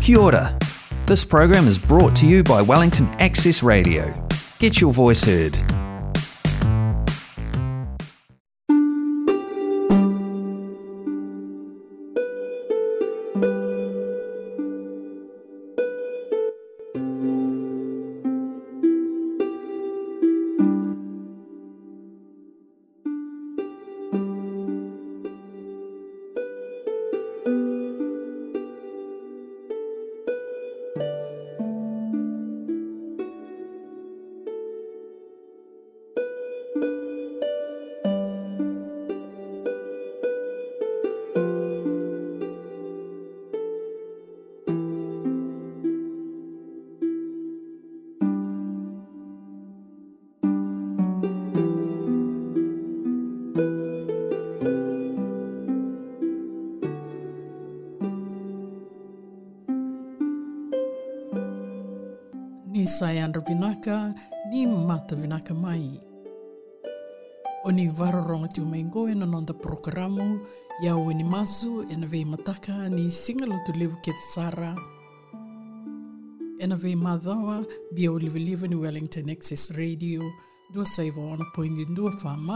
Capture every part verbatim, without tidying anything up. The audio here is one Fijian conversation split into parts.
Kia ora. This program is brought to you by Wellington Access Radio. Get your voice heard. Ni sa yadra vinaka, ni mata vinaka mai. O ni vakarorogo tiko mai qo ena noda porokaramu Yau ni Masu ena veimataka ni Siga Lotulevu kece sara, ena veimacawa biau livaliva ni Wellington Access Radio, dua saiva ono poidi dua F M,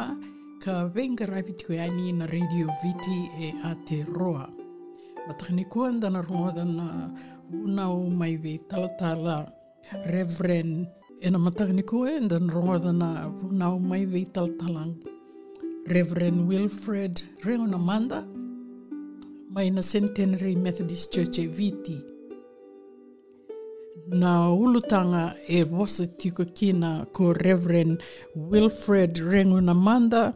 ka veiqaravi tiko yani na Radio Viti e Aotearoa. Mataka nikua eda na rogoca na vunau mai vei talatala Reverend, ena mataka nikua eda na rogoca na vunau mai vei talatala Reverend Wilfred Regunamada, mai na Centenary Methodist Church e Viti. Na ulutaga e vosa tiko kina ko Reverend Wilfred Regunamada,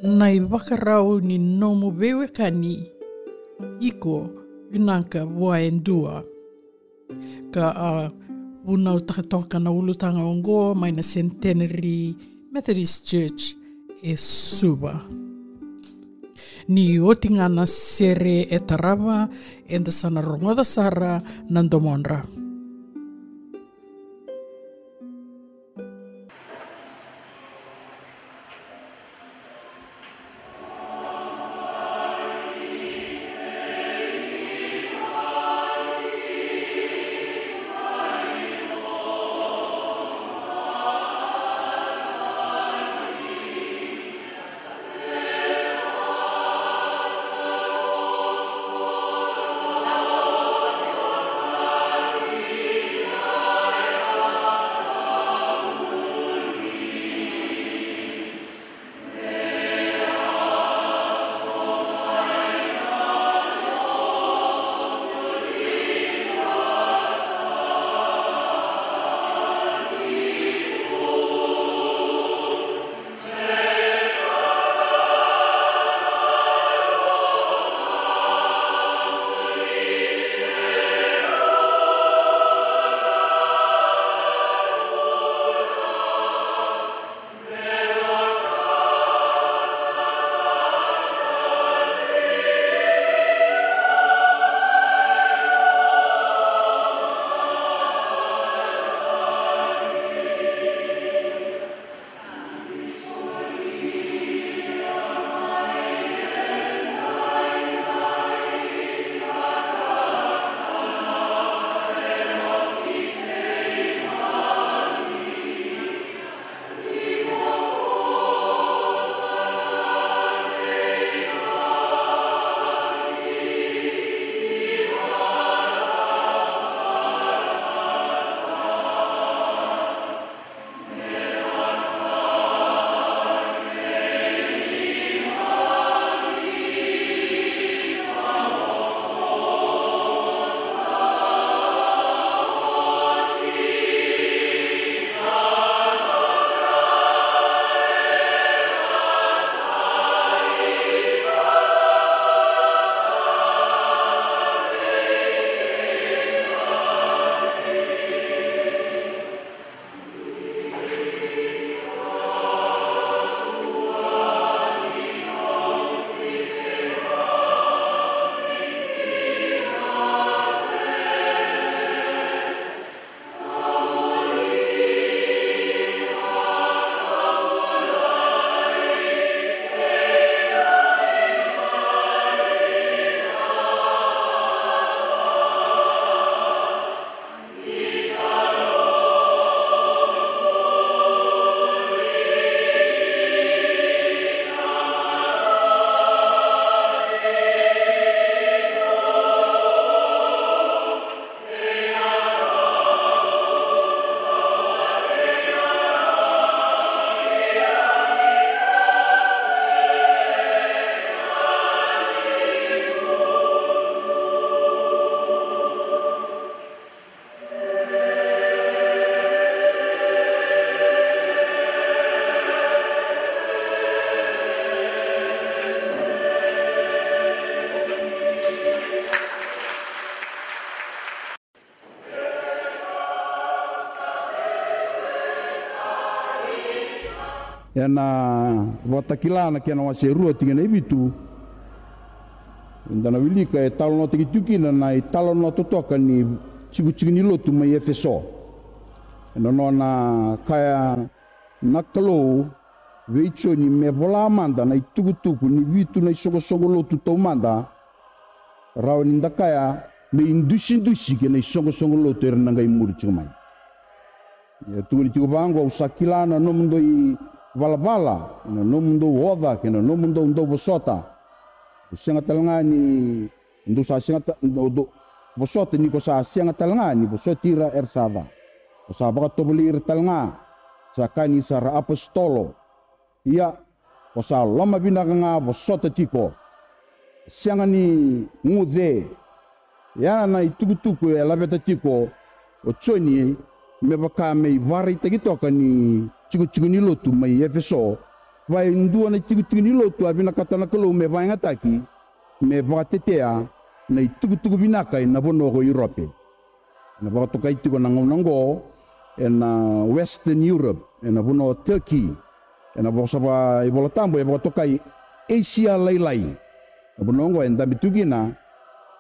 na ivakarau ni nomu veiwekani, iko vinaka vua e dua. Ka a vunautaka toka na ulutaga oqo mai na Centenary Methodist Church e Suva. Ni oti ga na sere e tarava, eda sa na rogoca sara na domodra. Ena Vakatakila na kena wase e rua tikina e vitu, eda na wilika e talanoataki tiko kina na italanoa totoka ni tikotiko ni lotu mai Efeso. Ena nona kaya na Kalou vei Joni me vola mada na itukutuku ni vitu na isoqosoqo lotu taumada, rawa ni da kaya me idusidusi kei na isoqosoqo lotu era na qai muri tiko mai. E tukuni tiko vaqo: Au sa kila na nomudou ivalavala, na nomudou oca kei na nomudou dauvosota. Au sega tale ga ni dou sa sega ta-, dou, dou vosota, ni ko sa sega tale ga ni vosoti ira era sa ca. Ko sa vakatovolei ira tale ga, sa kaya ni sa ra apositolo. Ia, ko sa lomavinaka ga vosota tiko. Sega ni guce. Ia na itukutuku e laveta tiko o Joni me vaka me ivakaraitaki toka ni tikotiko ni lotu mai Efeso. Va e dua na itikotiko ni lotu a vinakata na Kalou me vakayagataki, me vakatetea na itukutuku vinaka ena vanua ko Iurope. Ena vakatokai tiko na gauna oqo ena Western Europe, ena vanua o Turkey. Ena vosa vakaivolatabu e vakatokai Asia Lailai. Na vanua oqo e dabe tu kina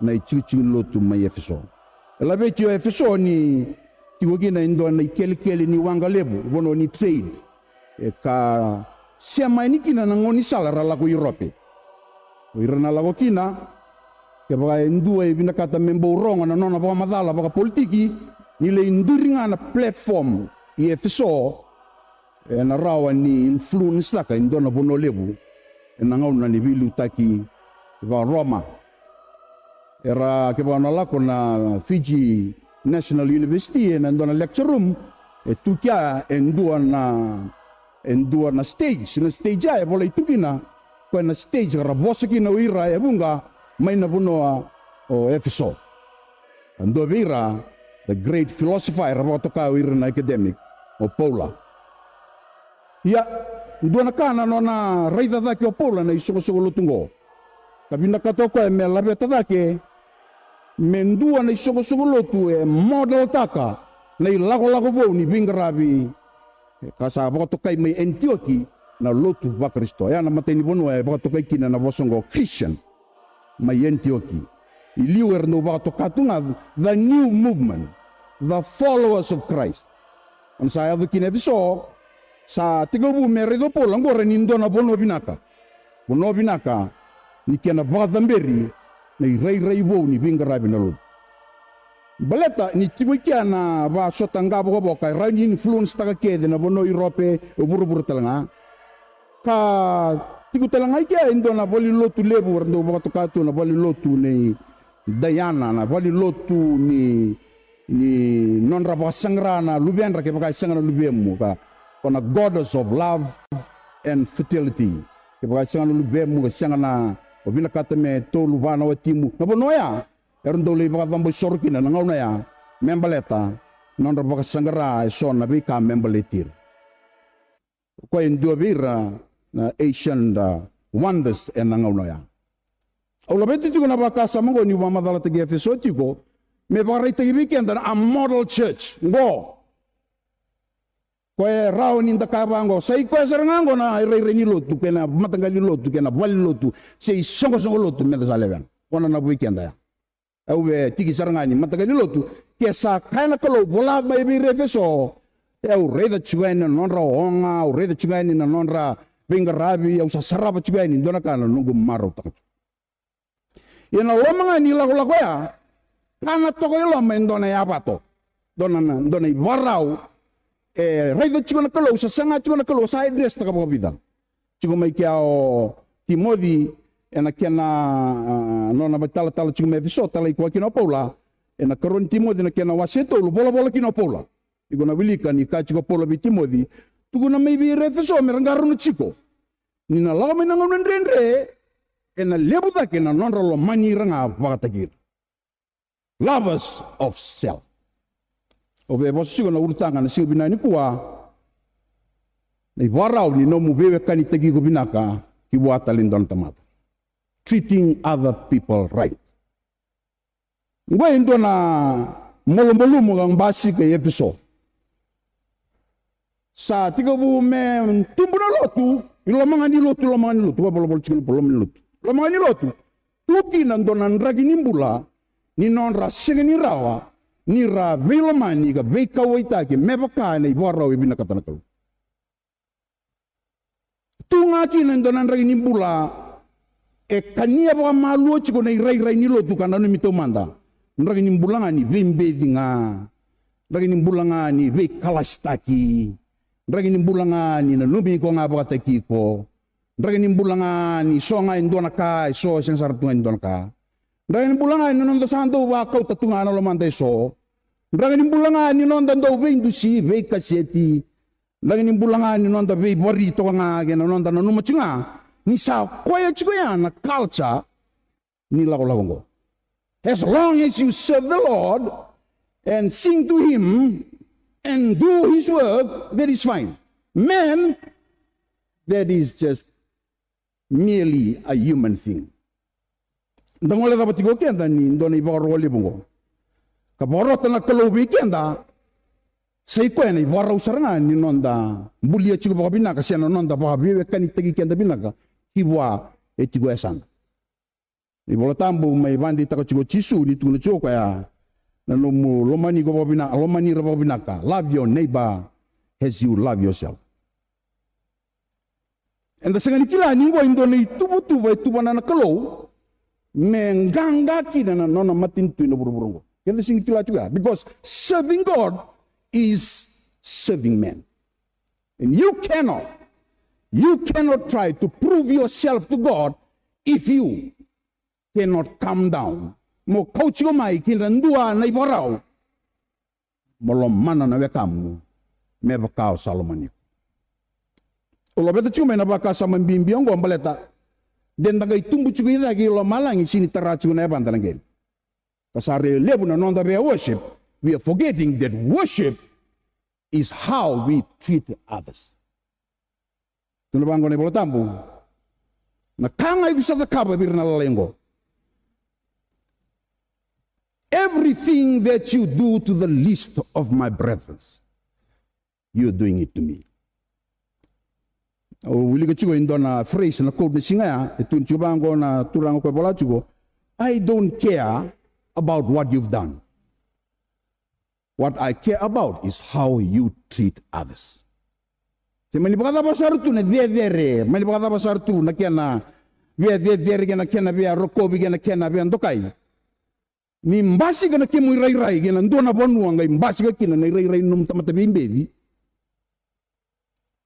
na itikotiko ni lotu mai Efeso. E laveti o Efeso ni tiko kina e dua na ikelekele ni waqa levu, vanua ni trade. E ka sema yani kina na gaunisala ra lako Iurope. O ira na lako kina, kevaka e dua e vinakata me bau rogo na nona vakamacala vakapolitiki, ni lai duri ga na platform i Efeso, ena rawa ni influence-taka e dua na vanua levu ena gauna ni veiliutaki vakaRoma. Era, kevaka o na lako na Fiji National University, ena dua na lecture room, e tu kea e dua na, e dua na stage, na stage ya e volai tu kina, koya na stage ka ra vosa kina o ira e vuqa mai na vanua o Efeso. Ka dua vei ira, the great philosopher, era vakatoka o ira na academic, o Paula. Ia, dua na ka na nona raica cake o Paula na isoqosoqo lotu oqo. Ka vinakata o koya me laveta cake me dua na isoqosoqo lotu e model-taka na ilakolako vou ni veiqaravi ka sa vakatokai mai Anitioki na lotu vaKarisito. Ya na imatai ni vanua e vakatokai kina na vosa oqo Christian. Mai Anitioki. I liu era dau vakatoka tu ga the new movement, the followers of Christ. Ena sa yaco kina Efeso, sa tekivu me raica o Paula oqori ni dua na vanua vinaka. Vanua vinaka ni kena vakacaberi na irairai vou ni veiqaravi na lotu. Baleta ni tiko i kea na vakasota qavokavoka e rawa ni influence-taka kece na vanua o Iurope, e vuravura tale ga. Ka tiko tale ga i kea e dua na valenilotu levu era dau vakatoka tu na valenilotu nei Diana, na valenilotu ni, ni nodra vakasaqara na luvedra kevaka e sega na luvemu, ka, ko na goddess of love and fertility. Kevaka e sega na luvemu, ka sega na, o vinakata me tolu va na watimu. Na vanua oya era dau lai vakacabo isoro kina na gauna oya me baleta na nodra vakasaqara eso na veika me baleti ira. O koya e dua vei ira na ancient, uh, wonders ena gauna oya. Au laveta tiko na vakasama oqo niu vakamacalataki Efeso tiko me vakaraitaki vei keda na a model church oqo. Koya e rawa ni da kaya vaqo, sa i koya sara ga oqo na irairai ni lotu kei na mataqali lotu kei na valenilotu se isoqosoqo lotu meda sa lewena. Kona na vei keda ya. Au via tiki sara ga ni mataqali lotu, ke sa kaya na Kalou vola mai vei ira Efeso, e au raica tiko yani na nodra oga, au raica tiko yani na nodra veiqaravi, au sa sarava tiko yani dua na ka na noqu marautaka tiko. Ia na loma ga ni lakolako ya, kana toka i loma e dua na yavato, dua na, dua na ivakarau, e raica tiko na Kalou, sa saga tiko na Kalou, sa address-taka vakavica. Tiko mai kea o Timoci ena kena, ah, nona vakaitalatala tiko mai Efeso, talai koya kina o Paula. Ena karua ni Timoci na kena wase e tolu, volavola kina o Paula. Iko na wilika ni kaya tiko o Paula vei Timoci, tukuna mai vei ira Efeso me ra qarauna tiko ni na lako mai na gauna dredre, ena levu cake na nodra lomani ira ga vakataki ira. Lovers of self. Au via vosa tiko na ulutaga na siga vinaka nikua, na ivakarau ni nomu veiwekanitaki iko vinaka ki vua tale ni dua na tamata. Treating other people right. Oqo e dua na malumalumu ka basika i Efeso. Sa tekivu me tubu na lotu, i loma ga ni lotu, loma ga ni lotu, vakavolavola tiko na loma ni lotu. Loma ga ni lotu, tu kina dua na draki ni bula, ni nodra sega ni rawa ni ra veilomani ka veikauwaitaki me vaka na ivakarau e vinakata na Kalou. Tu ga kina e dua na draki ni bula e kania vakamalua tiko na irairai ni lotu ka nanumi taumada. Draki ni bula ga ni veibeci ga. Draki ni bula ga ni veikalasitaki. Draki ni bula ga ni nanumi iko ga vakataki iko. Draki ni bula ga ni so ga e dua na ka, e so e sega sara tu ga e dua na ka. Draki ni bula ga ni noda sa dau vakauta tu ga na lomada e so. Draki ni bula ga ni noda dau veidusi, veikaseti. Draki ni bula ga ni noda veivari toka ga kei na noda nanuma tiko ga ni sa koya tiko ya na culture ni lakolako oqo. As long as you serve the Lord and sing to him and do his work, that is fine. Man, that is just merely a human thing. Da gole cava tiko keda ni dua na ivakaro levu oqo ka vakarota na Kalou vei keda. Sa i koya na ivakarau sara ga ni noda bulia tiko vakavinaka se na noda vakaveiwekanitaki keda vinaka ki vua e tiko e yasada. Na iVola Tabu mai vakadeitaka tiko o Jisu ni tukuna tiko o koya na nomu lomani iko vakavinaka, lomani ira vakavinaka. Love your neighbor as you love yourself. Eda sega ni kila ni oqo e dua na ituvatuva e tuvana na Kalou me qaqa kina na nona matanitu ena vuravura oqo. Keda sega ni kila tiko ya, because serving God is serving man. And you cannot, you cannot try to prove yourself to God if you cannot come down. Mo kauti iko mai ki na dua na ivakarau. Mo lomana na wekamu me vaka o sa lomani iko. O laveta tiko mai na vakasama bibi oqo baleta de da qai tubu tiko i cake i lomalagi, sega ni tara tiko na yavada na qele. Ka sa rui levu na noda via worship, we are forgetting that worship is how we treat others. Tukuna vaqo na iVola Tabu, na ka ga iko sa cakava vei ira na lalai oqo, everything that you do to the least of my brethren, you are doing it to me. Au wilika tiko e dua na phrase na quote ni siga ya, e tukuna tiko vaqo na turaga ko e vola tiko, I don't care about what you've done. What I care about is how you treat others. Se mani vakacava sara tu na cecere, mani vakacava sara tu na kena via cecere kei na kena via rokovi kei na kena via dokai. Ni basika na kemu irairai kei na dua na vanua qai basika kina na irairai ni nomu tamata veibeci,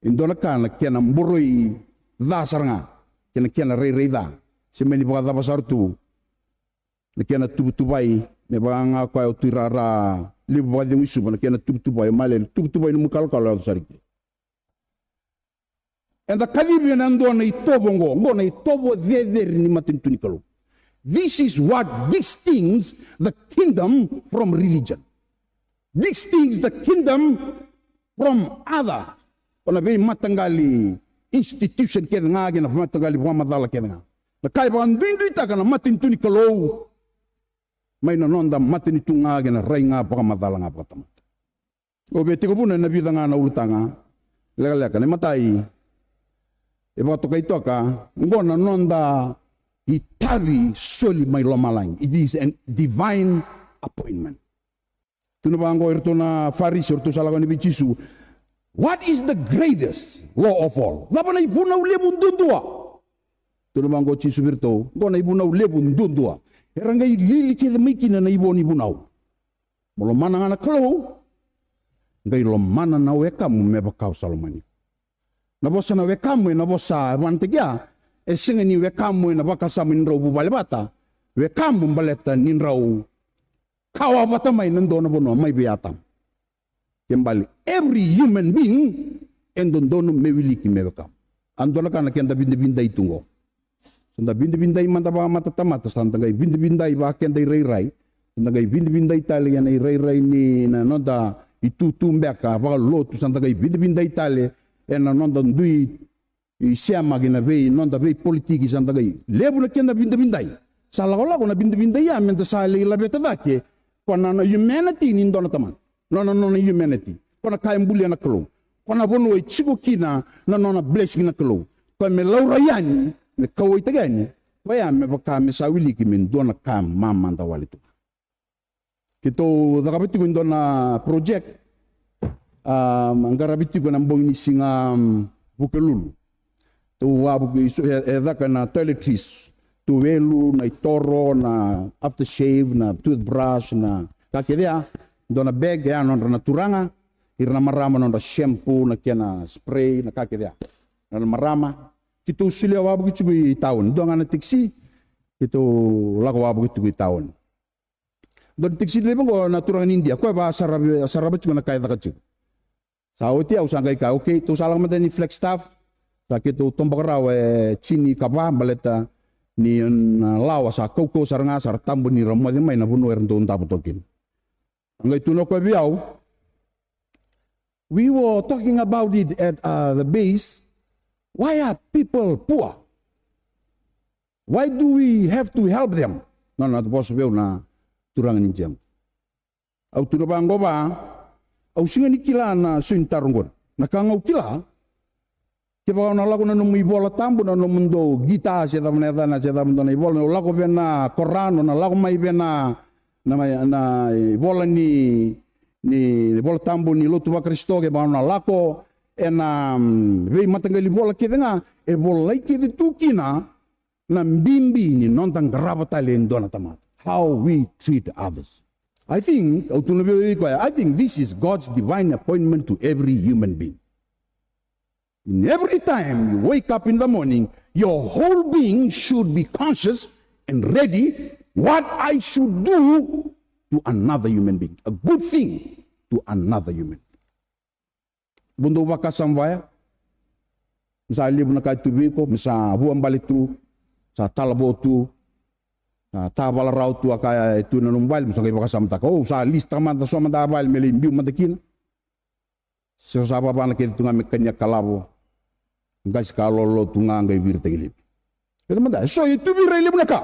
e dua na ka na kena boroi ca sara ga kei na kena rairai ca. Se mani vakacava sara tu na kena tuvatuvai, me vaka ga koya o Tui Rara, levu vakacegu i Suva, na kena tuvatuvai, o Malele, tuvatuvai nomu kalokalo yaco sara i ke. Eda kacivi ena dua na itovo oqo, oqo na itovo cecere ni matanitu ni Kalou. This is what distinguishes the kingdom from religion. Distinguishes the kingdom from other. O na veimataqali institution kece ga kei na mataqali vakamacala kece ga. Na ka e vakaduiduitaka na matanitu ni Kalou mai na noda matanitu ga kei na rai ga vakamacala ga vakatamata. Au via tekivuna ena vica ga na ulutaga lekaleka. Na imatai, e vakatokai toka oqo na noda itavi soli mai lomalagi. It is a divine appointment. Tukuna vaqo iratou na Farisi, o iratou sa lako yani vei Jisu. What is the greatest law of all? Cava na ivunau levu duadua? Tukuna vaqo o Jisu vei iratou, oqo na ivunau levu duadua. Era qai lili kece mai kina na ivo ni vunau. Mo lomana ga na Kalou, qai lomana na wekamu me vaka o sa lomani iko. Na vosa na wekamu ena vosa e vanataki ya, e sega ni wekamu ena vakasama ni drau vuvale vata. Wekamu baleta ni drau kawa vata mai na dua na vanua mai vei Atama. Ke bale, every human being e dodonu me wiliki me wekamu. A dua na ka na keda vidavidai tu oqo. Sa da vidavidai mada vakamatatamata, sa da qai vidavidai vakeda irairai, sa da qai vidavidai tale ena irairai ni na noda itutu beka vakalotu, sa da qai vidavidai tale ena noda dui isema kei na vei noda veipolitiki, sa da qai levu na keda vidavidai. Sa lakolako na vidavidai ya meda sa lai laveta cake ko na nona humanity ni dua na tamata, nona, nona humanity, ko na ka e bulia na Kalou. Ko na vanua e tiko kina na nona blessing na Kalou. Koya me laurai yani, me kauwaitaki yani. Koya me vaka me sa wiliki me dua na ka mamada wale tu. Keitou cakava tiko e dua na project, a, qaravi tiko na bogi ni siga, um, Vukelulu. Tou wavuki, e, e caka na toiletries, tuwelu, na itoro, na aftershave, na toothbrush, na ka kece ya. Dua na bag, ya nodra na turaga, ira na marama nodra shampoo, na kena spray, na ka kece ya. Na marama, keitou solia wavuki tiko i taoni. Dua ga na taxi, keitou lako wavuki tiko i taoni. Dua na taxi driver qo na turaga ni Idia, koya va sarava, sarava tiko na ka e caka tiko. Sa oti au sa qai kaya, okay, tou sa lako mada ni Flagstaff. Sa keitou toboka rawa e tini ka va baleta ni na lawa sa kaukauwa sara ga, sa ra tabu ni ra moce mai na vanua era dau davo toka kina. Sa qai tukuna o koya vei au, we were talking about it at, uh, the base. Why are people poor? Why do we have to help them? Na nona vosa vei au na turaga ni Idia qo. Au tukuna vaqo, au sega ni kila na isau ni taro qori. Na ka ga au kila, kevaka o na lako na nomu iVola Tabu, na nomudou guitar se cava na yacana, se cava dua na ivola, o lako vei na Koran, o na lako mai vei na, na, na ivola ni, ni Vola Tabu ni lotu vaKarisito, kevaka o na lako ena, mm, veimataqali vola kece ga, e volai kece tu kina na bibi ni noda qarava tale e dua na tamata. How we treat others. I think, au tukuna vei koya, I think this is God's divine appointment to every human being. In every time you wake up in the morning, your whole being should be conscious and ready what I should do to another human being. A good thing to another human being. Mo dou vakasama vaya. Sa levu na ka e tu vei iko, mo sa vuabale tu, sa talavo tu, sa tavalarau tu, a ka e tu na nomu vale, mo sa qai vakasamataka, o, sa list-taka mada so mada a vale me lai biu mada kina. Se sa vavana kece tu ga me kania kalavo, qasi ka lolo tu ga qai viritaki laivi. Kece mada, e so e tu vei ira e levu na ka.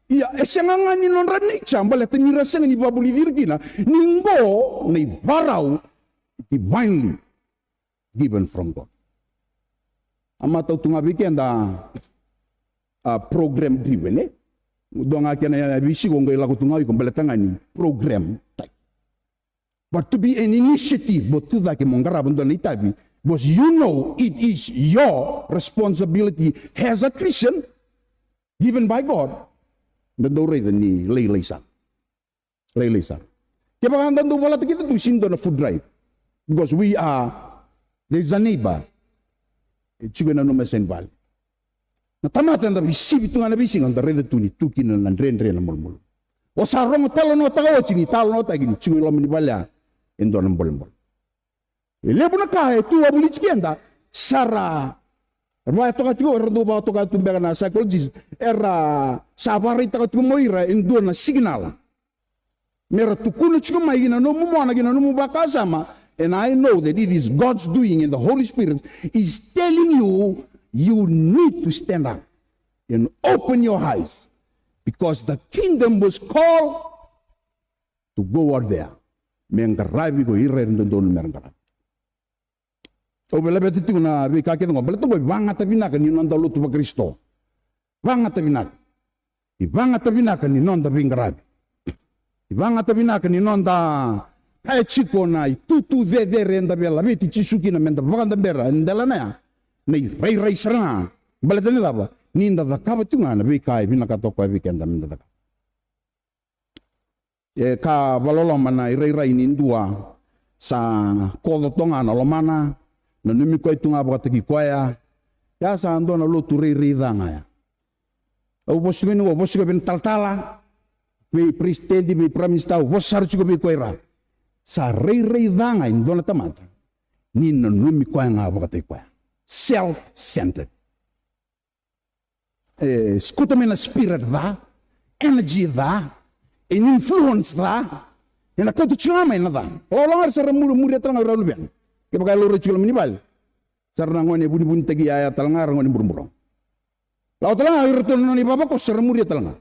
Ia, e sega ga ni nodra nature, baleta ni ra sega ni vakavulici ira kina ni qo na ivarau divinely given from God. A matau tu ga vei keda, a, program driven, e? Dua ga kena veisiko qai lako tu ga o iko baleta ga ni program type. But to be an initiative, mo tu cake mo qarava dua na itavi, because you know it is your responsibility as a Christian, given by God, da dau raica ni lailai sara. Lailai sara. Kevaka da dau volata kece tu, sega ni dua na food drive. Because we are, there is a neighbor. E tiko ena nomu yasa ni vale. Na tamata eda veisivi tu ga na veisiga, da raica tu ni tu kina na dredre na malumalumu. O sa rogo talanoataka oti ni talanoataki ni tiko i loma ni vale ya e dua na bolebole. E levu na ka e tu a vulici keda, sa ra vakatoka tiko, era dau vakatoka tu beka na psychologist, era sa vakaraitaka tiko mai o ira e dua na signal. Me ra tukuna tiko mai ki na nomu mona, ki na nomu vakasama, and I know that it is God's doing and the Holy Spirit is telling you, you need to stand up and open your eyes because the kingdom was called to go out there. Me qaravi ko ira era dodonu me ra qaravi. Au via laveta tiko na veika kece qo, baleta qo e vagata vinaka ni noda lotu vaKarisito. Vagata vinaka. E vagata vinaka ni noda veiqaravi. E vagata vinaka ni noda kaya tiko na itutu cecere eda via laveti Jisu kina meda vakadabera ena delana ya. Na irairai sara ga. Baleta ni cava? Ni da cakava tiko ga na veika e vinakata o koya vei keda meda cakava. E ka vakaloloma na irairai ni dua sa koco toka ga na lomana, nanumi koya tu ga vakataki koya. Ya sa dua na lotu rairai ca ga ya. Au vosa tiko ni, au vosa tiko vei na talatala, vei peresitedi, vei prime minister, au vosa sara tiko vei koya ira. Sa rairai ca ga e dua na tamata ni nanumi koya ga vakataki koya. Self-centered. E sikuta mai na spirit ca, energy ca, an influence ca. Ena kauta tiko ga mai na ca. Lawalawa ga era sa ra muri, muria tale ga o ira luvena. Kevaka e laurai tiko loma ni vale, sa ra na gone vunivunitaki yaya tale ga, ra gone burabura. Lawa tale ga o iratou na nona ivavakoso, sa ra muria tale ga.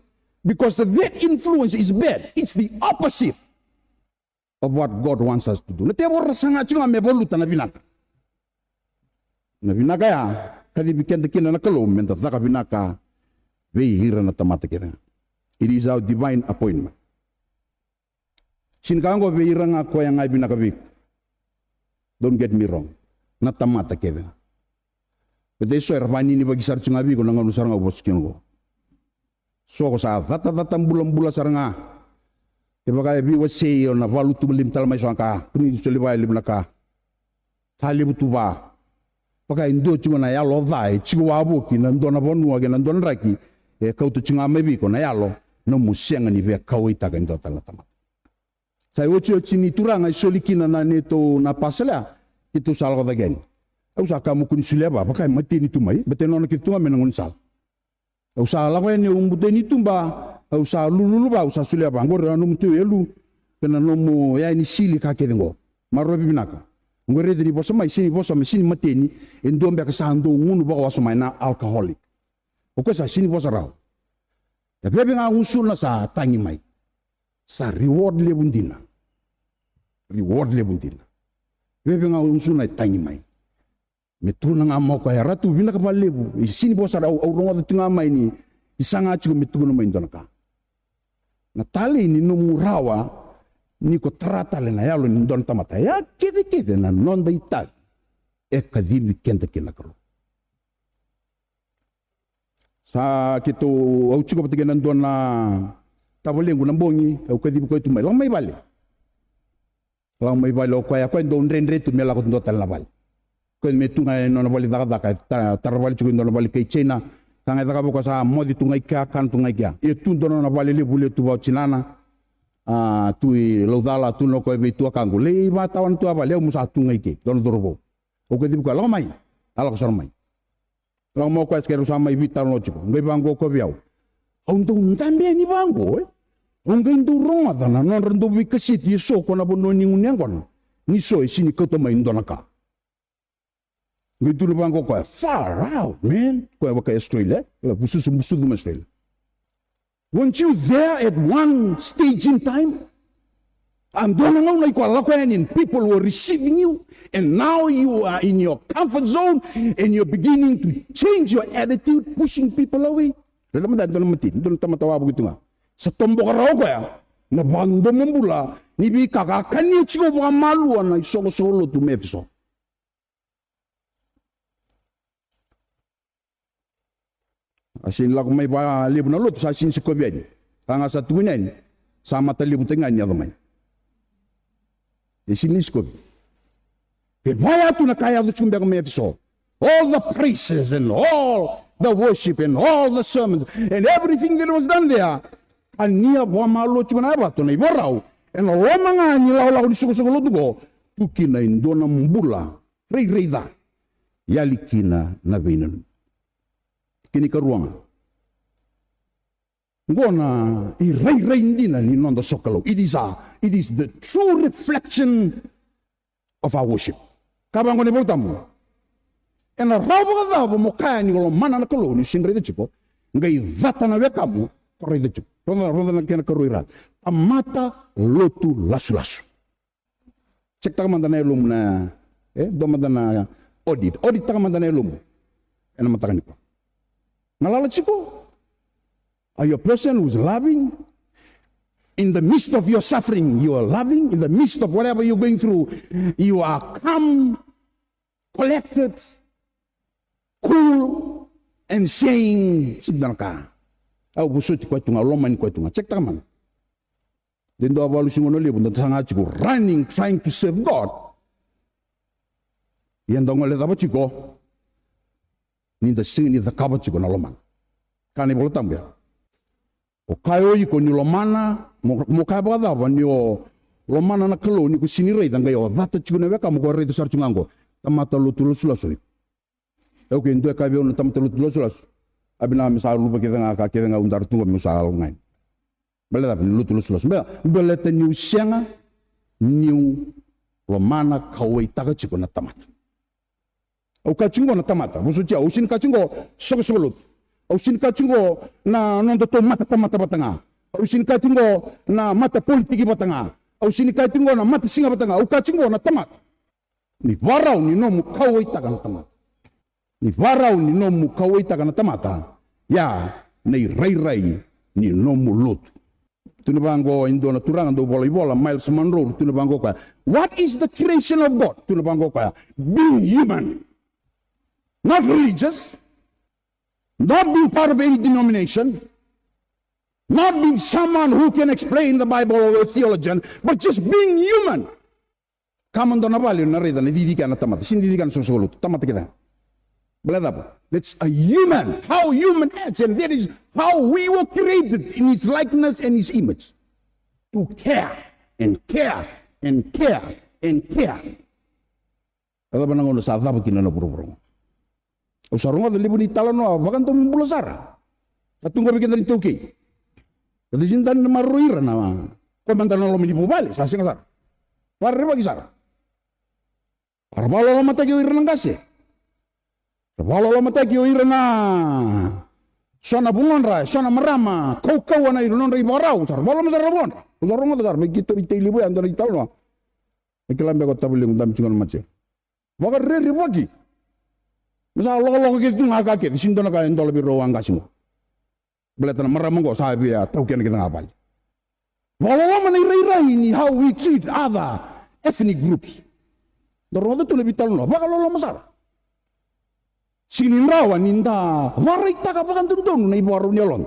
Because that influence is bad. It's the opposite of what God wants us to do. Na tevoro era saga tiko ga me valuta na vinaka. Na vinaka ya, kacivi keda kina na Kalou me da caka vinaka vei ira na tamata kece ga. It is our divine appointment. Sega ni ka oqo vei ira ga koya ga e vinaka vei iko. Don't get me wrong. Na tamata kece ga. Baleta eso era vaninivaki sara tu ga vei iko na gauna sara ga o vosa kina oqo. So ko sa catacata bulabula sara ga. Kevaka e veiwasei o na valutu lima tale mai so na ka. Kua ni soli vaya levu na ka. Sa levu tu va. Vaka e dua tiko na yalo ca e tiko wavoki na dua na vanua kei na dua na draki. E kauta tiko ga mai vei iko na yalo. Nomu sega ni via kauwaitaka e dua tale na tamata. Sa iotioti ni turaga e soli kina na neitou na pasala ya. Keitou sa lako cake yani. Au sa kaya mo kua ni solia va, vaka e mateni tu mai, baleta e nona kece tu ga mai na gaunisala. Au sa lako yani, au buta yani tuba, au sa lululu va, au sa solia va, oqori na nomu teu e lu, kei na nomu yaya ni sili ka kece oqo. Maroroya vinaka. Oqori raica ni vosa mai, sega ni vosa mai, sega ni mateni, e dua beka sa dau gunu vakawasoma mai na alcoholic. O koya sa sega ni vosa rawa. E veve ga gusuna sa tagi mai. Sa reward levu dina. Reward levu dina. Veve ga gusuna e tagi mai. Me tukuna ga mo koya, Ratu, vinaka vakalevu. E sega ni vosa rawa, au rogoca tu ga mai ni, ni saga tiko me tukuna mai dua na ka. Na talei ni nomu rawa, ni ko tara tale na yalo ni dua na tamata. Ya kecekece na noda itavi. E kacivi keda kina na Kalou. Sa keitou, au tiko vata kei na dua na tavalequ na bogi, au kacivi koya tu mai. Lako mai vale. Lako mai vale o koya, koya e dau dredre tu me lako tu dua tale na vale. Koya me tu ga e nona vale cakacaka, e ta-, tara vale tiko e dua na vale kei China. Ka ga e cakava o koya sa moce tu ga i kea, kana tu ga i kea. Ia tu dua na nona vale levu lewe tu vau tinana. A, tu i Laucala, tu na koya vei tuakaqu. Lai vakatawana tu a vale, au mo sa tu ga i ke, dua na cauravou. Au kacivi koya, lako mai. A lako sara mai. Lako mai o koya, sa keirau sa mai veitalanoa tiko. Qai vaqo o koya vei au. Au dau dabe yani vaqo, e? Au qai dau rogoca na nodra dau veikaseti eso ko na vanua ni gunu yaqona. Ni so e sega ni kauta mai dua na ka. Qai tukuna vaqo o koya, far out, man. Koya vaka Australia, e? Koya bususu, busucu mai Australia. Weren't you there at one stage in time? A dua na gauna iko a lako yani and people were receiving you, and now you are in your comfort zone and you're beginning to change your attitude, pushing people away. Raica mada e dua na mateni, dua na tamata wavoki tu ga. Sa toboka rawa o koya na vakadomobula ni veika ka kania tiko vakamalua na isoqosoqo lotu mai Efeso. A sega ni lako mai vakalevu na lotu, sa sega ni sikovi yani. Ka ga sa tukuni yani, sa matalevutaki ga ni yaco mai. E sega ni sikovi. Ke vaya tu na ka e yaco tiko beka mai Efeso. All the praises and all the worship and all the sermons and everything that was done there. Kania vakamalua tiko na yavato, na ivarau. Ena loma ga ni lakolako ni soqosoqo lotu qo, tu kina e dua na bula rairai ca. Yali kina na veinanumi. Kena ikarua ga. Qo na irairai dina ni noda sokalou. It is a, it is the true reflection of our worship. Ka vaqo na iVolatabu. Ena rawa vakacava mo kaya ni ko lomana na Kalou ni sega ni raica tiko, qai cata na wekamu ko raica tiko. Rogoca, rogoca na kena karua ira. Tamata lotu lasulasu. Check taka mada na yalomu na, e, dua mada na audit. Audit taka mada na yalomu. Ena mataka nikua. Galala tiko? Are you a person who's loving? In the midst of your suffering, you are loving. In the midst of whatever you're going through, you are calm, collected, cool, and saying, sega ni dua na ka. Au vosoti koya tu ga, au lomani koya tu ga. Check taka mada. De dua valu siga na levu, da saga tiko running, trying to serve God. Ia da gole cava tiko? Ni da sega ni cakava tiko na lomana. Ka na iVolatabu ya. O kaya o iko ni lomana, mo, mo kaya vakacava ni o lomana na Kalou ni ko sega ni raica, qai o cata tiko na wekamu ko raica sara tiko ga qo. Tamata lotu lasulasu o iko. E, okay, dua e kaya vei au na tamata lotu lasulasu. A vinaka me sa luva kece ga, ka kece ga au dara tu qo meu sa lako ga yani. Baleta cava ni lotu lasulasu? Baleta, baleta niu sega niu lomana, kauwaitaka tiko na tamata. Au kaya tiko qo na tamata, vosoti au, au sega ni kaya tiko qo soqosoqo lotu. Au sega ni kaya tiko qo na nodatou matatamata vata ga. Au sega ni kaya tiko qo na matapolitiki vata ga. Au sega ni kaya tiko qo na matasiga vata ga. Au kaya tiko qo na tamata. Ni varau ni nomu kauwaitaka na tamata. Ni varau ni nomu kauwaitaka na tamata, ya na irairai ni nomu lotu. Tu na vaqo e dua na turaga dau vola ivola, Myles Munroe, tu na vaqo koya. What is the creation of God? Tu na vaqo koya. Being human. Not religious. Not being part of any denomination. Not being someone who can explain the Bible or a theologian, but just being human. Kama dua na vale na raica na cici kea na tamata, sini cici kea na soqosoqo lotu, tamata kece ga. Baleta cava? That's a human, how human acts, and that is how we were created in his likeness and his image. To care and care and care and care. A cava na gauna sa cava kina na vuravura oqo? Au sa rogoca levu ni talanoa vakadomobula sara. Sa tu qo vei keda na iTaukei. Keda sini dau maroroi ira na koya mada na loma ni vuvale, sa sega sara. Vakarerevaki sara. Ra vakalolomataki o ira na qase. Ra vakalolomataki o ira na so na vugodra, so na marama, kaukauwa na ira nodra ivakarau. Sa ra vakaloloma sara na vugodra. Au sa rogoca sara vei keitou i Tailevu ya, dua na italanoa. E kila beka o tavalequ dabe tiko na mace. Vakarerevaki. Me sa lokoloko kece tu ga ka kece, sini dua na ka e dola vei rau a qase qo. Baleta na marama qo sa via tau kena kece ga vale. Vakaloloma na irairai ni how we treat other ethnic groups. Da rogoca tu na veitalanoa, vakaloloma sara. Sini rawa ni da varaitaka vakadodonu na ivakarau ni yaloda.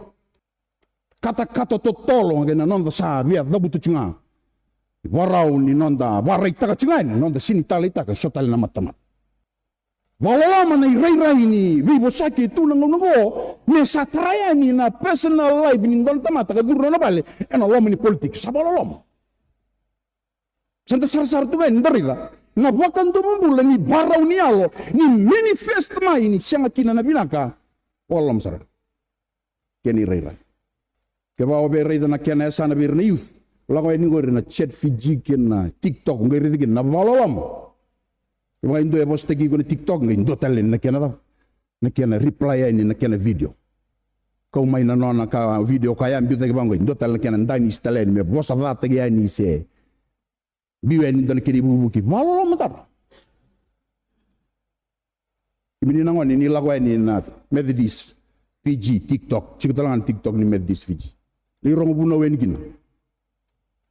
Katakata totolo kei na noda sa via cavuta tu ga. Ivakarau ni noda varaitaka tu ga yani, noda sini taleitaka e so tale na matamata. Vakaloloma na irairai ni veivosaki e tu na gauna oqo, me sa tara yani na personal life ni dua na tamata ka curu nona vale ena loma ni politiki. Sa vakaloloma. Sa da sarasara tu ga yani da raica na vakadomobula ni varau ni yalo ni manifest mai ni sega kina na vinaka. Vakaloloma sara. Kena irairai. Kevaka o via raica na kena yasana vei ira na youth, lako yani qori na Chat Fiji kei na TikTok, qai raica kina na vakaloloma. Kevaka e dua e vosataki iko na TikTok, qai dua tale na kena cava? Na kena reply yani na kena video. Kau mai na nona ka video ka ya biucaki vaqo, qai dua tale na kena danisi tale yani me vosa cataki yani se biu yani dua na kena ivukivuki. Vakaloloma tara. Kemuni na gone ni lako yani na Methodist Fiji TikTok, tiko tale ga na TikTok ni Methodist Fiji. Ni rogo vunau yani kina.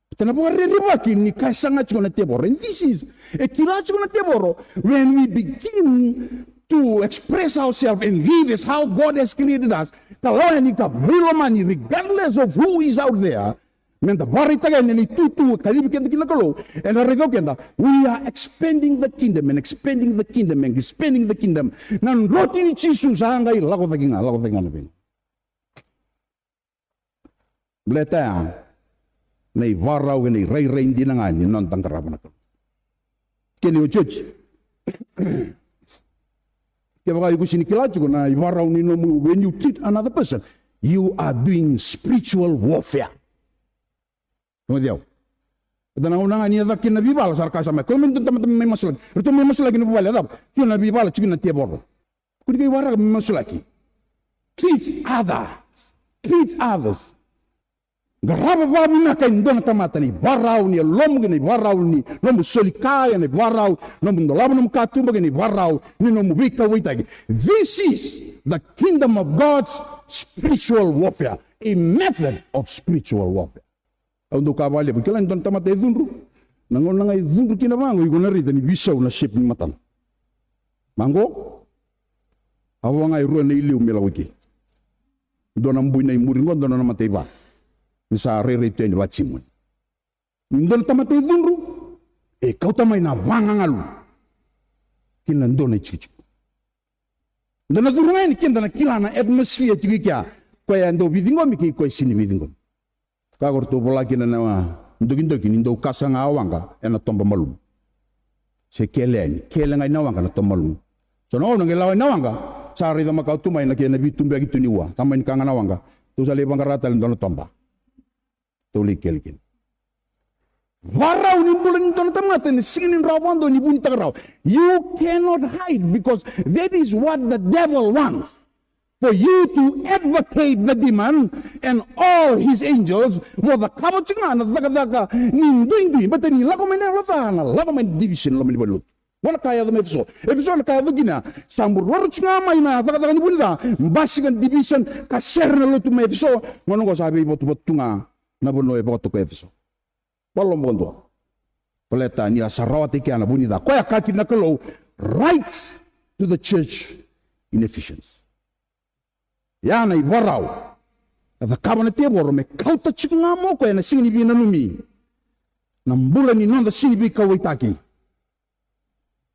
Baleta na vakarerevaki ni ka e saga tiko na tevoro. And this is, e kila tiko na tevoro when we begin to express ourselves and live as how God has created us. Ka lako yani ka veilomani regardless of who is out there. Me da varaitaka yani na itutu e kacivi keda kina na Kalou, ena raici keda, we are expanding the kingdom and expanding the kingdom and expanding the kingdom. Na droti ni Jisu sa qai lako cake ga, lako cake ga na veiga. Baleta ya na ivakarau kei na irairai dina ga ni noda qarava na Kalou. Kena iotioti. Kevaka iko sini kila tiko na ivakarau ni nomu, when you treat another person, you are doing spiritual warfare. Rogoci au. Eda na gauna ga ni yaco kina na veivala, sa ra kaya sa mai, kau mai dua na tamata mai masulaki. Ratou mai masulaki na vuvale, a cava? Tiko na veivala, tiko na tevoro. Kua ni qai waraka me masulaki. Treat others. Treat others. Qarava vakavinaka e dua na tamata na ivakarau ni yalomu kei na ivakarau ni nomu soli ka, kei na ivakarau nomu dolava nomu katuba, kei na ivakarau ni nomu veikauwaitaki. This is the kingdom of God's spiritual warfare, a method of spiritual warfare. Au dau kaya vakalevu, kila ni dua na tamata e cudru. Na gauna ga e cudru kina vaqo, iko na raica ni veisau na shape ni matana. Vaqo, a vo ga e rua na iliu me lako i ke. Dua na bui na imuri qo, dua na mataiva. Ni sa rairai tu yani vakatimuni. Ni dua na tamata e cudru, e kauta mai na vagagalu kina dua na itikotiko. Da na curu ga yani keda na kila na atmosphere tiko i kea, koya e dau veiciqomi kei koya e sini veiciqomi. Ka ko ratou vola kina na dokidoki ni dau kasa ga a waqa ena toba malumu. Se kele yani, kele ga i na waqa na toba malumu. So na gauna qai lako i na waqa, sa raica makawa tu mai na kena veitubuyaki tu ni ua. Ka mai ni ka ga na waqa, tou sa lai vaqara tale dua na toba. Tou lai kele kina. Varau ni bula ni dua na tamata ena siga ni rawa vakadua ni vunitaka rawa. You cannot hide because that is what the devil wants. For you to advocate the demon and all his angels, mo cakava tiko ga na cakacaka ni duidui, baleta ni lako mai na yalo ca, na lako mai na division, lako mai na valenilotu. Qo na ka e yaco mai Efeso. Efeso na ka e yaco kina, sa buroro tu ga mai na cakacaka ni vunica, basika na division, ka sere na lotu mai Efeso. Gauna qo sa veivotuvatu tu ga na vanua e vakatokai Efeso. Vakaloloma vakadua. Baleta ni a sa rawata i kea na vunica. Koya e kaya kina na Kalou, write to the church in Ephesians. Ya na ivakarau e cakava na tevoro me kauta tiko ga mai o koya ena siga ni veinanumi, na bula ni noda sega ni veikauwaitaki.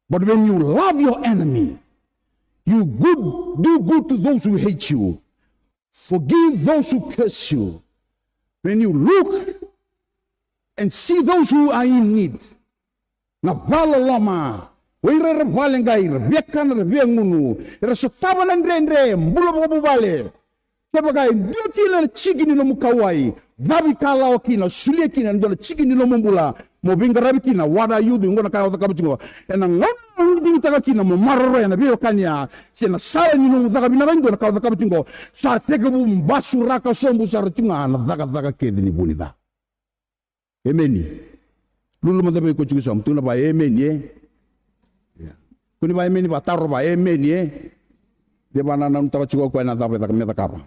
But when you love your enemy, you good, do good to those who hate you, forgive those who curse you. When you look and see those who are in need, na vakaloloma, o ira era vakaleqai, era viakana, era viagunu, era sotava na dredre, bula vakavuvale. Kevaka e dua kina na tiki ni nomu kauwai, cavikalawa kina, solia kina e dua na tiki ni nomu bula, mo veiqaravi kina. What are you doing? Qo na ka o cakava tiko qo. Ena gauna o digitaka kina mo maroroya na veiwekani ya, se na sala ni nomu caka vinaka e dua, na ka o cakava tiko qo, sa tekivu basuraka sobu sara tiko ga na cakacaka kece ni vunica. Emeni. Lululu mada vei koya tiko e sauma, tukuna vua emeni, e? Ia. Kua ni vua emeni, vua taro vua emeni, e? De vua na nanuma tiko o koya na cava e caka me cakava.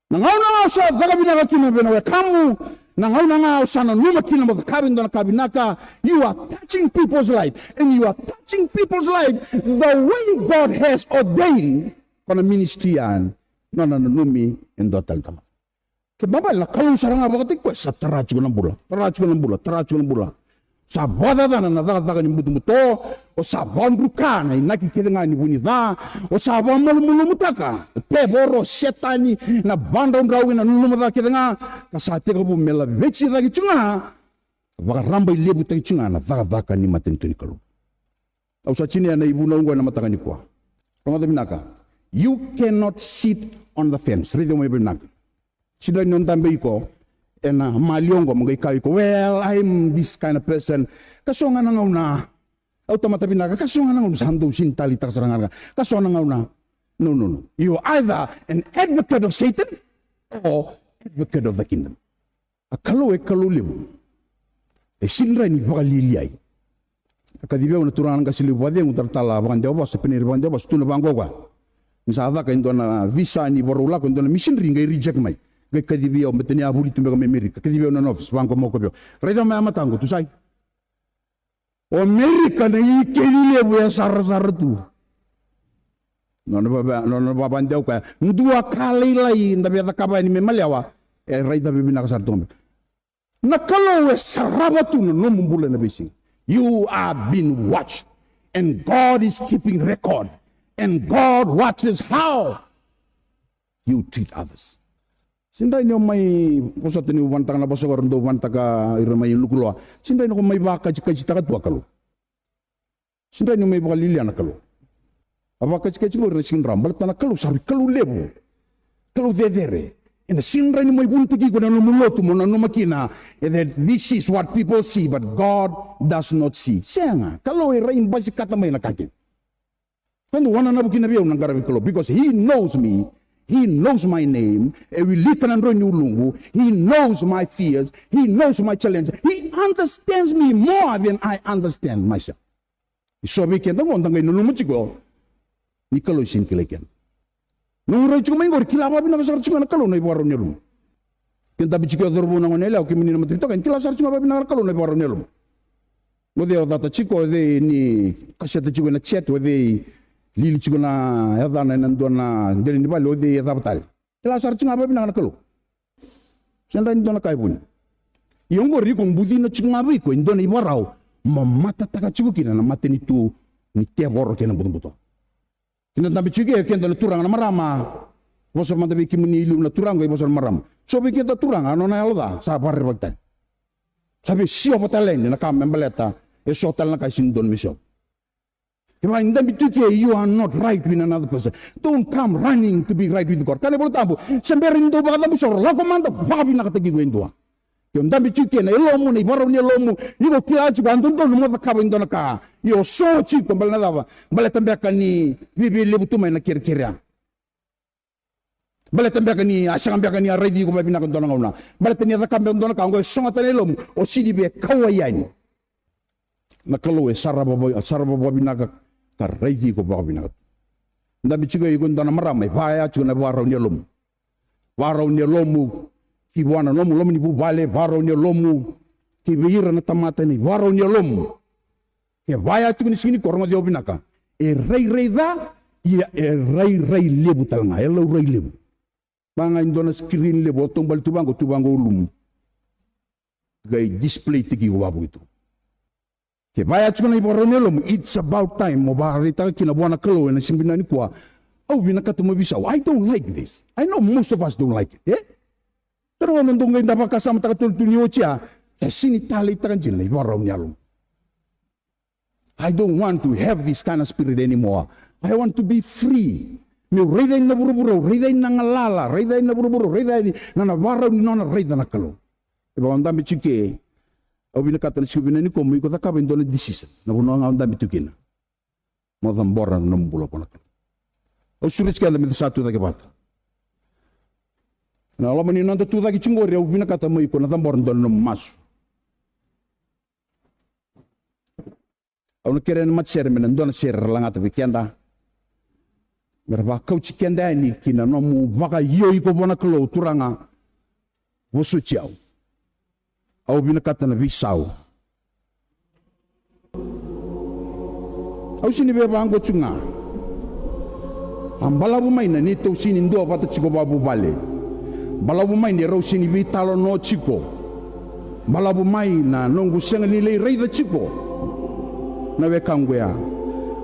Na gauna ga o sa caka vinaka kina vei na wekamu, na gauna ga o sa nanuma kina mo cakava e dua na ka vinaka, you are touching people's life, and you are touching people's life the way God has ordained. Ko na ministry ya, nona nanumi e dua tale na tamata. Kena ibalebale na Kalou sara ga vakataki koya, sa tara tiko na bula, tara tiko na bula, tara tiko na bula. Sa vakacacana na cakacaka ni butobuto, o sa vakadruka na inaki kece ga ni vunica, o sa vakamalumalumutaka o tevoro, o Setani, na vakadraudrau kei na nanuma ca kece ga, ka sa tekivu me laveti cake tiko ga, vakarabailevutaki tiko ga na cakacaka ni matanitu ni Kalou. Au sa tinia na ivunau oqo ena mataka nikua. Rogoca vinaka. You cannot sit on the fence. Raica mai vakavinaka. Sega ni o dabe iko ena mali oqo mo qai kaya iko, well, I'm this kind of person. Ka so ga na gauna au tamata vinaka, ka so ga na gauna sa dau sega ni taleitaka sara ga na ka, ka so na gauna. No, no, no. You are either an advocate of Satan or advocate of the kingdom. A Kalou e Kalou levu. E sega ni rawa ni vakalialiai. A kacivi au na turaga na qase levu vakacegu, talatala vakadewa vosa, penei ira vakadewa vosa, tukuna vaqo o koya. Ni sa caka e dua na visa ni vakarau lako e dua na missionary, qai reject mai. Qai kacivi au, baleta ni a vuli tu beka mai Amerika. Kacivi au ena nona office, vaqo mai o koya vei au. Raica mai a mataqu, tu sai. O Amerika na ikeli levu e sarasara tu. Nona vava, nona vakadewa o koya. Dua ka lailai da via cakava yani me malewa, e raica vakavinaka sara tu ga. Na Kalou e sarava tu na nomu bula ena veisiga. You are being watched, and God is keeping record, and God watches how you treat others. Sega ni o mai vosota niu vanataka na vosa qo, era dau vanataka ira mai Nukuloa. Sega ni o mai vakatikatikataka tu a Kalou. Sega ni o mai vakalialia na Kalou. A vakatikatika qori na siga ni rawa, baleta na Kalou sa rui Kalou levu, Kalou cecere. Ena sega ni o mai vunitaki iko na nomu lotu mo nanuma kina, e, that this is what people see but God does not see. Sega, Kalou e rai basikata mai na ka kina. Ka dau wananavu kina vei au na qaravi Kalou, because he knows me, he knows my name, e wilika na droi ni uluqu, he knows my fears, he knows my challenges, he understands me more than I understand myself. E so vei keda qo da qai nanuma tiko ni Kalou e sega ni kilai keda. Noqu rai tiko mai qori, kila vakavinaka sara tiko ga na Kalou na ivakarau ni yalomu. Ke dabe tiko e cauravou, na goneyalewa, kemuni na matanitu, ka ni kila sara tiko ga vakavinaka na Kalou na ivakarau ni yalomu. O cei o cata tiko, o cei ni kaseta tiko ena chat, o cei lili tiko na yacana ena dua na dela ni vale, o cei e cava tale. Kila sara tiko ga vakavinaka na Kalou. Sega ni dua na ka e vuni. Ia oqori iko bucina tiko ga vei iko e dua na ivakarau mo matataka tiko kina na matanitu ni tevoro kei na butobuto. Keda dabe tiko e keda na turaga, na marama. Vosa mada vei kemuni e liu na turaga, qai vosa na marama. So vei keda turaga, a nona yalo ca sa vakarerevaki tale. Sa via siova tale yani na ka me baleta e so tale na ka e sega ni dodonu me siova. Kevaka e dabe tu ke, you are not right with another person, don't come running to be right with God. Kaya na iVolatabu, se bera ni dou vakacabusoro, lako mada vakavinakataki iko e dua. Ke o dabe tiko ke, na yalomu, na ivakarau ni yalomu, iko kila tiko a dodonu mo cakava e dua na ka, ia o so tiko. Baleta na cava? Baleta beka ni viavia levu tu mai na kerekere ya. Baleta beka ni a sega beka ni a raici iko vakavinaka e dua na gauna. Baleta ni a cakava beka e dua na ka, oqo e sogota na yalomu, o sega ni via kauwai yani. Na Kalou e sarava, sarava vakavinaka ka raici iko vakavinaka. Dabe tiko iko e dua na marama, e vaya tiko na ivakarau ni yalomu. Vakarau ni yalomu ki vua na nomu loma ni vuvale, vakarau ni yalomu ki vei ira na tamata, na ivakarau ni yalomu. Ke vaya tiko ni siga nikua, rogoci au vinaka. E rairai ca, ia e rairai levu tale ga, e laurai levu. Vaka ga e dua na screen levu, o taubale tu vaqo, tu vaqo ulumu. Qai display-taki iko vakavuki tu. Ke vaya tiko na ivakarau ni yalomu, it's about time mo vakaraitaka kina vua na Kalou ena siga vinaka nikua. Au vinakata mo veisau. I don't like this. I know most of us don't like it, e? Pero na dou qai da vakasamataka tolu tu ni oti ya, e sini taleitaka dina na ivakarau ni yalomu. I don't want to have this kind of spirit anymore. I want to be free. Meu raica yani na vuravura, au raica yani na galala, raica yani na vuravura, au raica yani na, na ivakarau ni nona raica na Kalou. E vaka o dabe tiko ke, au vinakata na siga vinaka nikua mo iko cakava e dua na decision. Na vanua ga o dabe tiko kina. Mo cabora na nomu bula vua na Kalou. Au sureti keda meda sa tucake vata. Na loma ni noda tucake tiko qori, au vinakata mo iko na cabora e dua na nomu masu. Au na kerea na matasere me na dua na sere ra lagata vei keda. Me ra vakauti keda yani ki na nomu vakaio iko vua na Kalou, Turaga, vosoti au. Au vinakata na veisau. Au sini via vaqo tu ga. A balavu mai na neitou sini duavata tiko vakavuvale. Balavu mai ni rau sini veitalanoa tiko. Balavu mai na noqu sega ni lai raica tiko na wekaqu ya.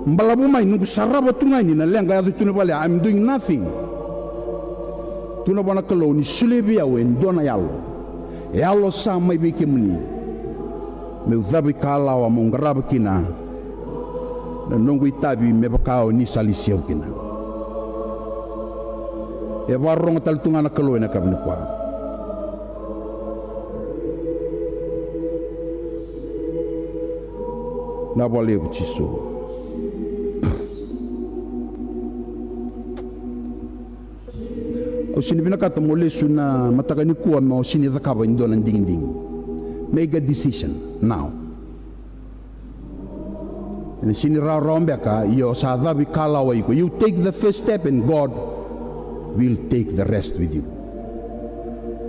Balavu mai noqu sarava tu ga yani na leqa yaco tu na vale ya, I'm doing nothing. Tukuna vua na Kalou ni solia vei au e dua na yalo. E yalo sa mai vei kemuni. Meu cavuikalawa meu qarava kina na noqu itavi me vaka o ni sa lesi au kina. E vakarorogo tale tu ga na Kalou ena yakavi nikua. Na vakalevu Jisu. Au sini vinakata mo lesu na mataka nikua mo sini cakava e dua na digidigi. Make a decision now. Ena sini rawarawa beka, ia o sa cavuikalawa iko. You take the first step and God will take the rest with you.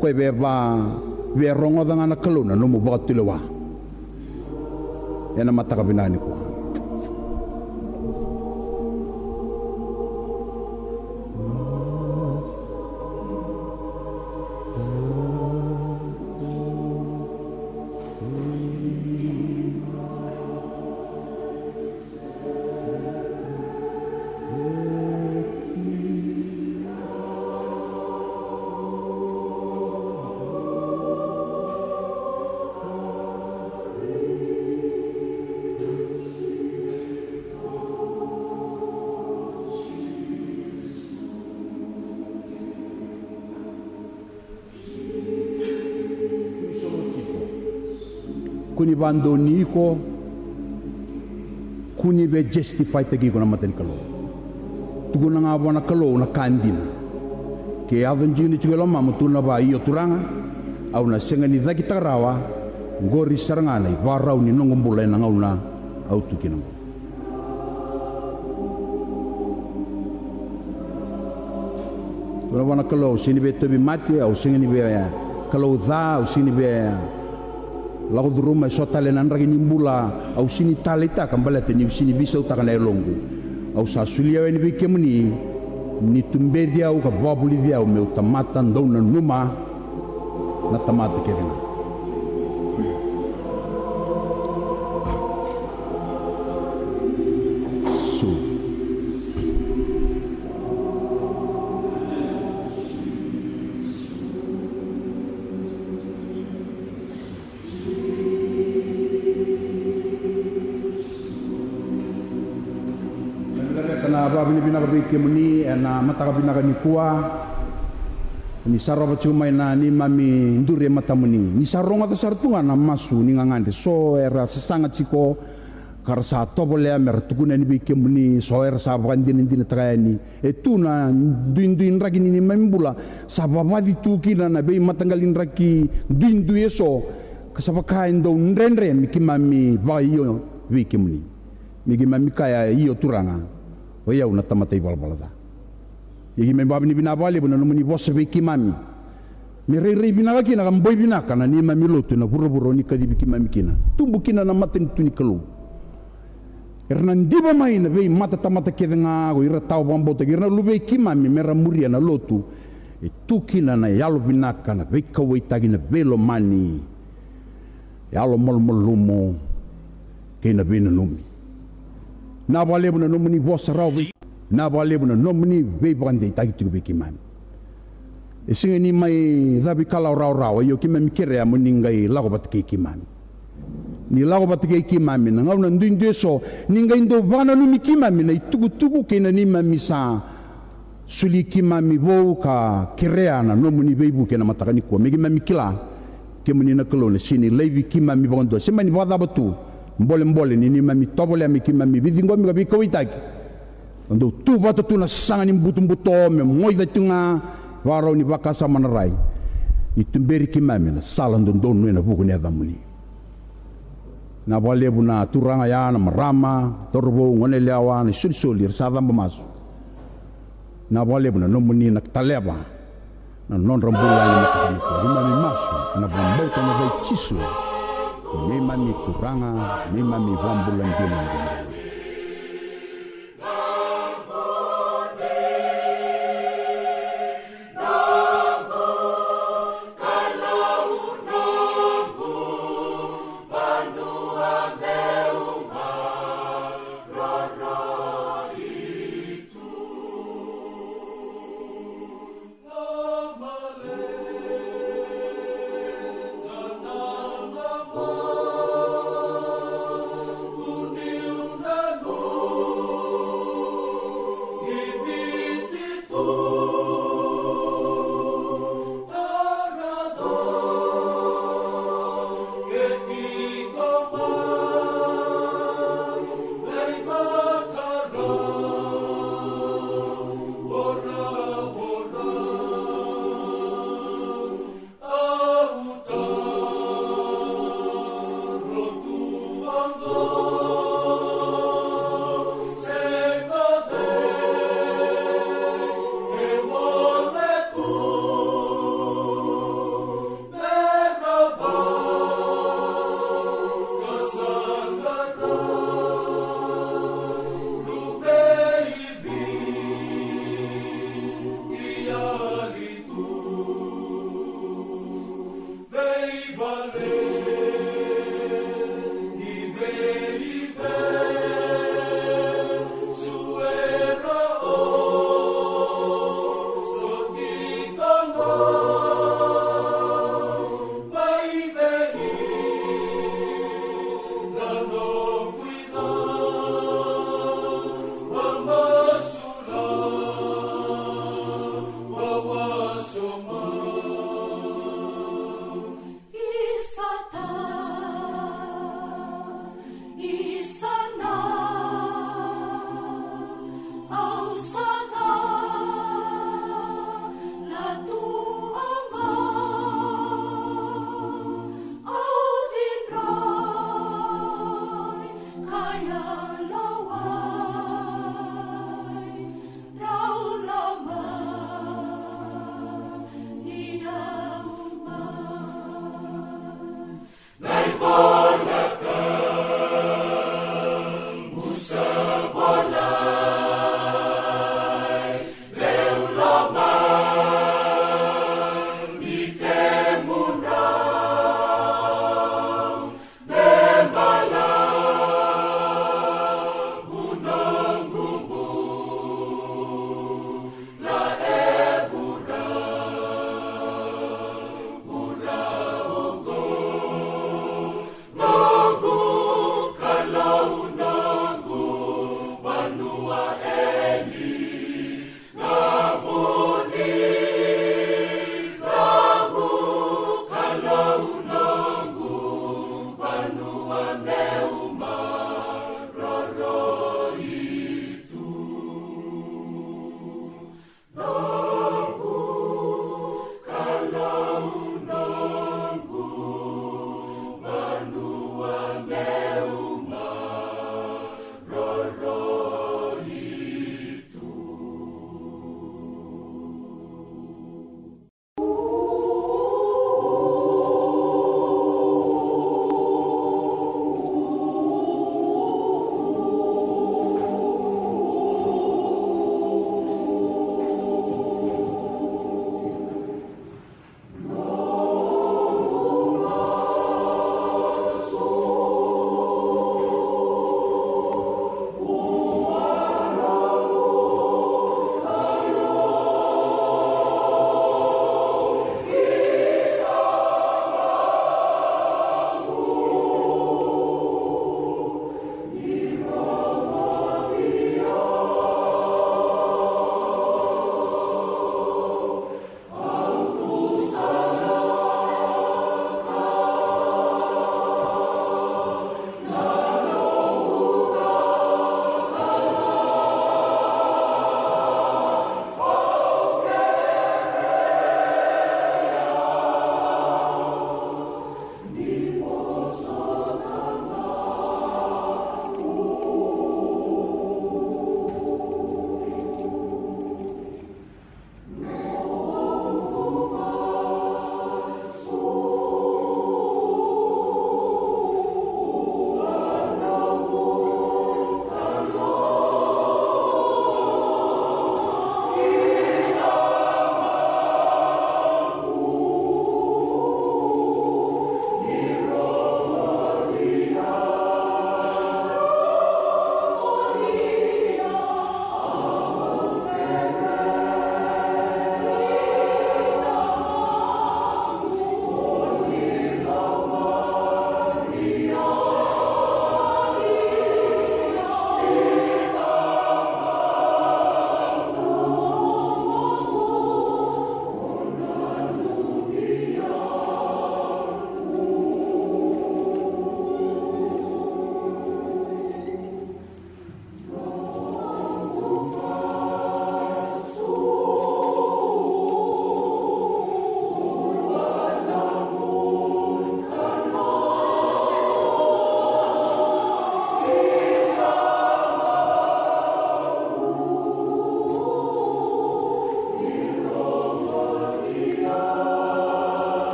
Koya via va, via rogoca ga na Kalou na nomu vakatulewa. Ena mataka vinaka nikua. Kua ni vadonui iko, kua ni via justify-taki iko na mata ni Kalou. Tukuna ga vua na Kalou na ka dina. Ke yaco dina tiko e lomamu, tukuna vua, io Turaga, au na sega ni cakitaka rawa. Qori sara ga na ivakarau ni noqu bula ena gauna au tu kina oqo. Tukuna vua na Kalou, au sega ni via tauvimate, au sega ni via kalou ca, au sega ni via lako curuma eso tale na draki ni bula, au sega ni taleitaka baleta niu sega ni veisautaka na yaloqu. Au sa solia au yani vei kemuni, ni tuberi au ka vakavulici au meu tamata dau nanuma na tamata kece ga. So. Na vinaka vei kemuni ena mataka vinaka nikua. Ni sa rova tiko mai na neimami duri e matamuni. Ni sa rogoca sara tu ga na masu ni gagadre, so era sasaga tiko ka ra sa tovolea me ra tukuna yani vei kemuni, so era sa vakadinadinataka yani. E tu na duidui draki ni neimami bula, sa vavaci tu kina na veimataqali draki duidui eso, ka sa vaka e dau dredre me keimami vakaio vei kemuni. Me keimami kaya, io Turaga, o i au na tamata ivalavala ca. Ia keimami vakavinavinaka vakalevu na nomuni vosa vei keimami. Me rairai vinaka kina ka boi vinaka na neimami lotu ena vuravura o ni kacivi keimami kina. Tubu kina na matanitu ni Kalou. Era na diva mai na veimatatamata kece ga, ko ira tawa vakabauta, ko ira na luvei keimami me ra muria na lotu. E tu kina na yalo vinaka, na veikauwaitaki, na veilomani, yalo malumalumu kei na veinanumi. Na vakalevu na nomuni vosa rawa vei, na vakalevu na nomuni veivakadeitaki tiko vei keimami. E sega ni mai cavi kalawa rawarawa, io keimami kerea mo ni qai lako vata kei keimami. Ni lako vata kei keimami na gauna duidui eso, ni qai dau vakananumi keimami na itukutuku kei na neimami sa soli keimami vou ka kerea na nomuni veivuke ena mataka nikua. Me keimami kila kemuni na Kalou na sega ni laivi keimami vakadua, se mani vakacava tu, bolebole ni neimami tovolea me keimami veiciqomi ka veikauwaitaki. Ka dau tu vata tu na saga ni butobuto me moica tu ga, vakarau ni vakasama na rai. Ni tuberi keimami na sala dodonu ena vuku ni yacamuni. Na vakalevu na turaga ya, na marama, cauravou, goneyalewa, na isolisoli era sa caba masu. Na vakalevu na nomuni na taleva na nodra bula ena mataka nikua. Neimami masu ena vakabauta na yaca i Jisu, neimami Turaga, neimami Vakabula dina.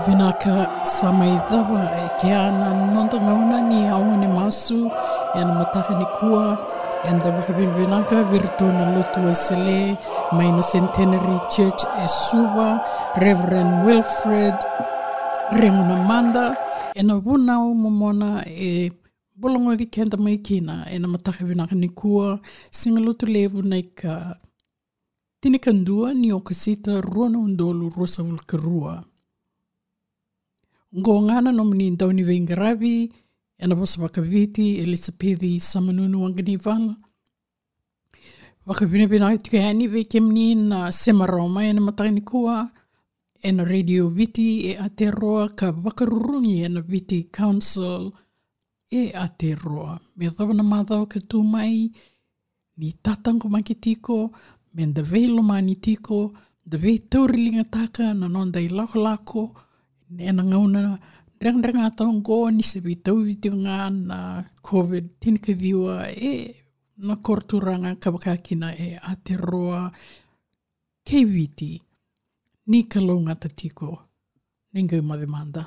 Vinaka, sa mai cava e kea na noda gauna ni aua ni masu ena mataka nikua. Eda vakavinavinaka vei iratou na lotu Wesele mai na Centenary Church e Suva, Reverend Wilfred Regu Namada, ena vunau momona e bologoci keda mai kina ena mataka vinaka nikua, siga Lotulevu na ika tinikadua ni Okosita, rua na udolu ruasagavulu ka rua. Oqo ga na nomuni dauniveiqaravi ena vosa vakaViti, Elisapeci Samanunu Waqanivala. Vakavinavinaka tiko yani vei kemuni na sema rawa mai ena mataka nikua ena Radio Viti e Aotearoa ka vakarurugi ena Viti Council e Aotearoa. Me yacova na macawa ka tu mai, ni tataqomaki tiko, me da veilomani tiko, da veitauriligataka na noda ilakolako ena gauna dregata oqo, ni se veitauvi tiko ga na COVID tinikaciwa ena koroturaga ka vaka kina e Aotearoa kei Viti. Ni kalougata tiko, ni qai moce mada.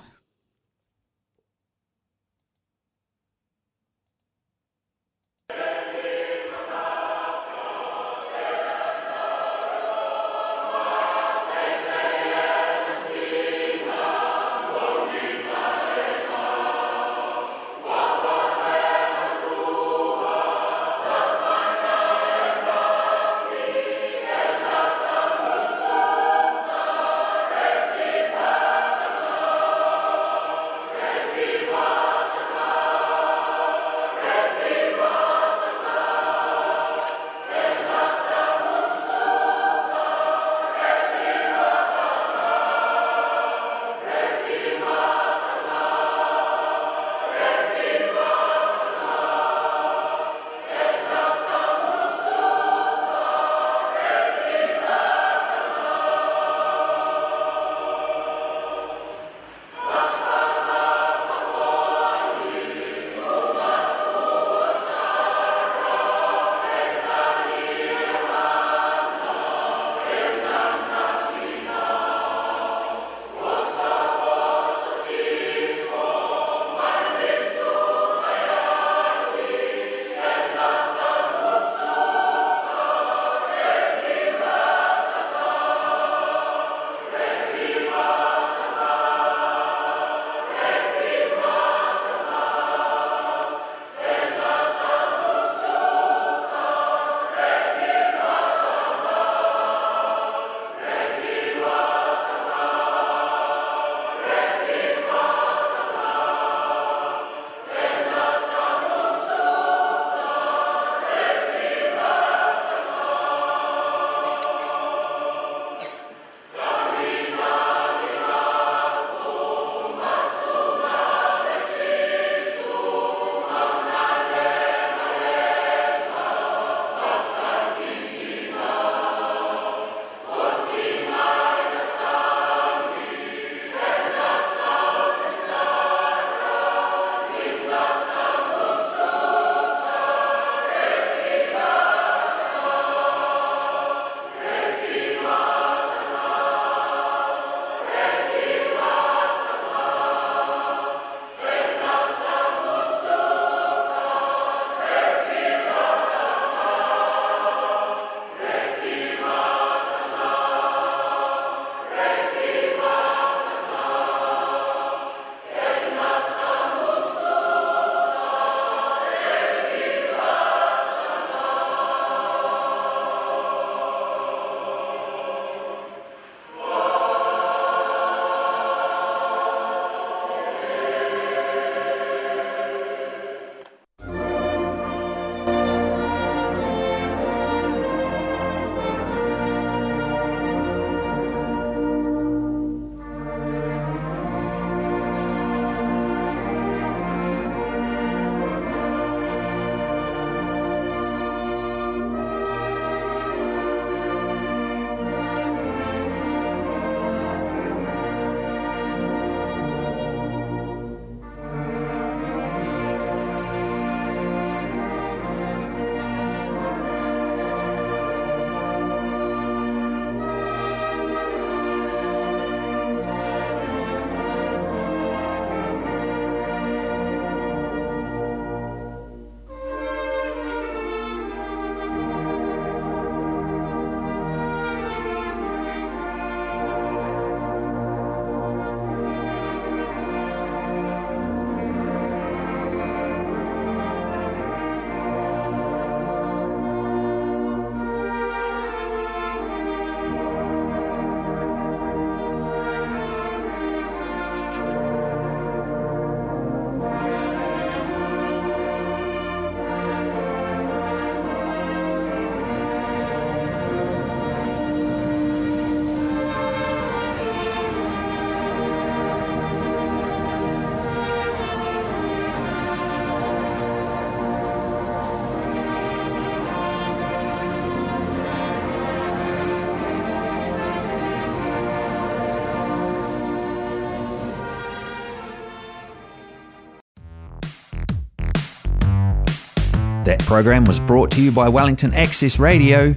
That program was brought to you by Wellington Access Radio.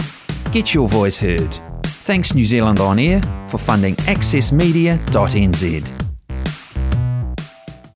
Get your voice heard. Thanks New Zealand On Air for funding access media dot N Z.